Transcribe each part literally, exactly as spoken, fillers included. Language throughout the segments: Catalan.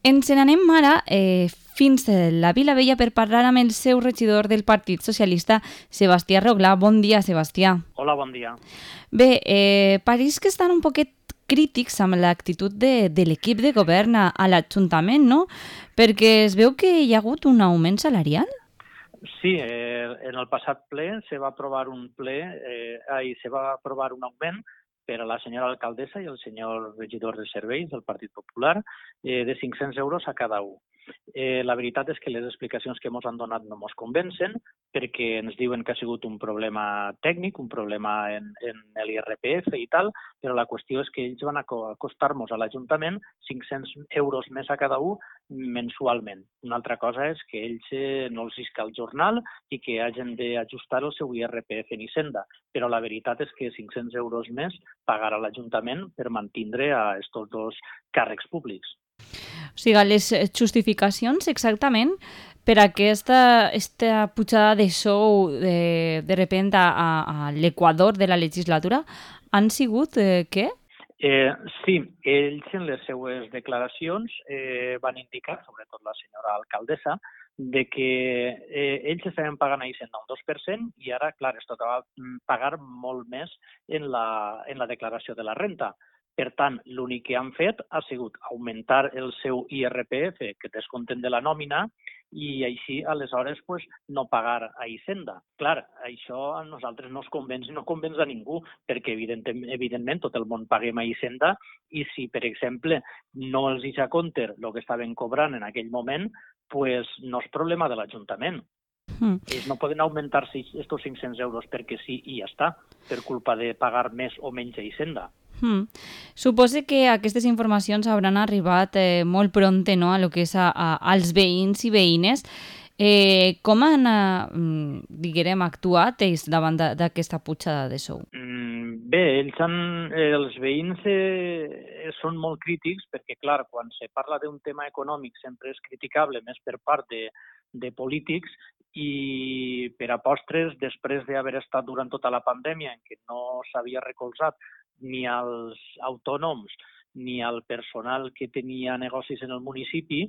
Ens n'anem ara eh, fins a la Vilavella per parlar amb el seu regidor del Partit Socialista, Sebastià Roglà. Bon dia, Sebastià. Hola, bon dia. Bé, eh, pareix que estan un poquet crítics amb l'actitud de, de l'equip de govern a, a l'Ajuntament, no? Perquè es veu que hi ha hagut un augment salarial? Sí, eh, en el passat ple se va aprovar un ple, eh, ai, se va aprovar un augment per a la senyora alcaldessa i el senyor regidor de serveis del Partit Popular eh, de cinc-cents euros a cada un. Eh, la veritat és que les explicacions que ens han donat no ens convencen perquè ens diuen que ha sigut un problema tècnic, un problema en, en l'I R P F i tal, però la qüestió és que ells van acostar-nos a l'Ajuntament cinc-cents euros més a cada un mensualment. Una altra cosa és que ells eh, no els isca el jornal i que hagin d'ajustar el seu I R P F en Hisenda, però la veritat és que cinc-cents euros més pagar a l'Ajuntament per mantindre a aquests dos càrrecs públics. O sigui, les justificacions exactament per a aquesta, aquesta pujada de sou de, de repente a, a l'equador de la legislatura han sigut eh, què? Eh, sí, ells en les seues declaracions eh, van indicar, sobretot la senyora alcaldessa, de que eh, ells estaven pagant a Hisenda un dos per cent i ara, clar, es tocava pagar molt més en la, en la declaració de la renta. Per tant, l'únic que han fet ha sigut augmentar el seu I R P F, que descompten de la nòmina, i així, aleshores, pues, no pagar a Hisenda. Clar, això a nosaltres no ens convenç i no convenç a ningú, perquè evidentment, evidentment tot el món paguem a Hisenda i si, per exemple, no els deixa compte el que estaven cobrant en aquell moment, pues, no és problema de l'Ajuntament. Mm. Ells no poden augmentar-se aquests cinc-cents euros perquè sí i ja està, per culpa de pagar més o menys a Hisenda. Mm. Suposo que aquestes informacions hauran arribat eh, molt prompte, no?, a lo que és a, a, als veïns i veïnes. Eh, com han eh, diguem, actuat ells davant d'aquesta pujada de sou? Mm, bé, ells han, eh, els veïns eh, són molt crítics perquè, clar, quan se parla d'un tema econòmic sempre és criticable més per part de, de polítics i per a postres, després d'haver estat durant tota la pandèmia en què no s'havia recolzat ni als autònoms ni al personal que tenia negocis en el municipi,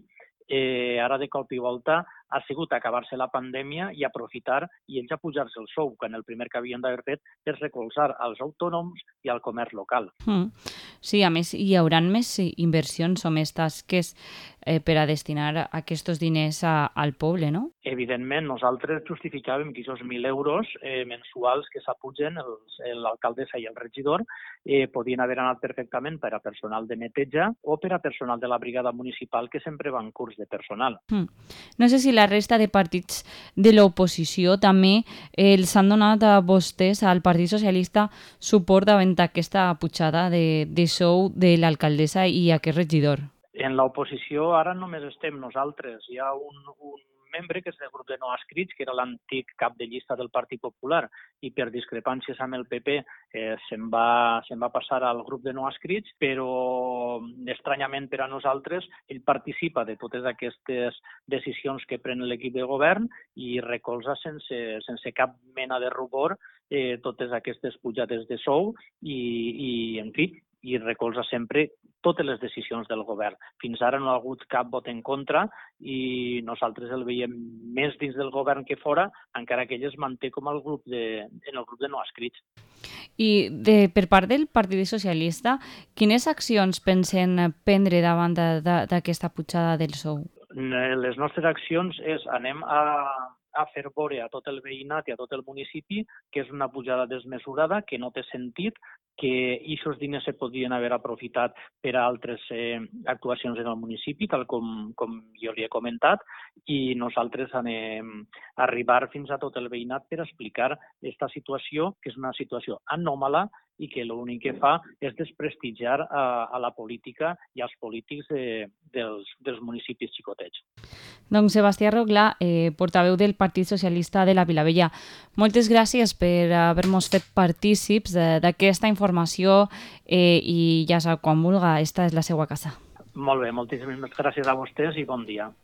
eh, ara de cop i volta ha sigut acabar-se la pandèmia i aprofitar i ells a pujar-se el sou, quan el primer que havien d'haver fet és recolzar als autònoms i al comerç local. Mm. Sí, a més, hi haurà més inversions o més tasques eh, per a destinar aquests diners a, al poble, no? Evidentment, nosaltres justificàvem que aquests mil euros eh, mensuals que s'apugen l'alcaldessa i el regidor eh, podien haver anat perfectament per a personal de neteja o per a personal de la brigada municipal que sempre va en curs de personal. Mm. No sé si la resta de partits de l'oposició també eh, els han donat a vostès, al Partit Socialista, suport davant aquesta pujada de, de sou de l'alcaldessa i aquest regidor. En l'oposició ara només estem nosaltres. Hi ha un, un membre que és del grup de no adscrits, que era l'antic cap de llista del Partit Popular, i per discrepàncies amb el P P eh, se'n va, se'n va passar al grup de no adscrits, però estranyament per a nosaltres ell participa de totes aquestes decisions que pren l'equip de govern i recolza sense, sense cap mena de rubor eh, totes aquestes pujades de sou i, i en fi, i recolza sempre totes les decisions del govern. Fins ara no ha hagut cap vot en contra i nosaltres el veiem més dins del govern que fora, encara que ell es manté com el grup de, en el grup de no adscrits. I de, per part del Partit Socialista, quines accions pensen prendre davant d'aquesta pujada del sou? Les nostres accions és anem a, a fer veure a tot el veïnat i a tot el municipi que és una pujada desmesurada, que no té sentit, que aquests diners se podrien haver aprofitat per a altres eh, actuacions en el municipi, tal com, com jo li he comentat, i nosaltres anem a arribar fins a tot el veïnat per explicar aquesta situació, que és una situació anòmala i que l'únic que fa és desprestigiar a, a la política i als polítics de, dels, dels municipis xicotets. Doncs Sebastià Roglà, eh, portaveu del Partit Socialista de la Vilavella, moltes gràcies per haver-nos fet partícips d'aquesta informació eh, i ja sap, quan vulga, esta és la seva casa. Molt bé, moltíssimes gràcies a vostès i bon dia.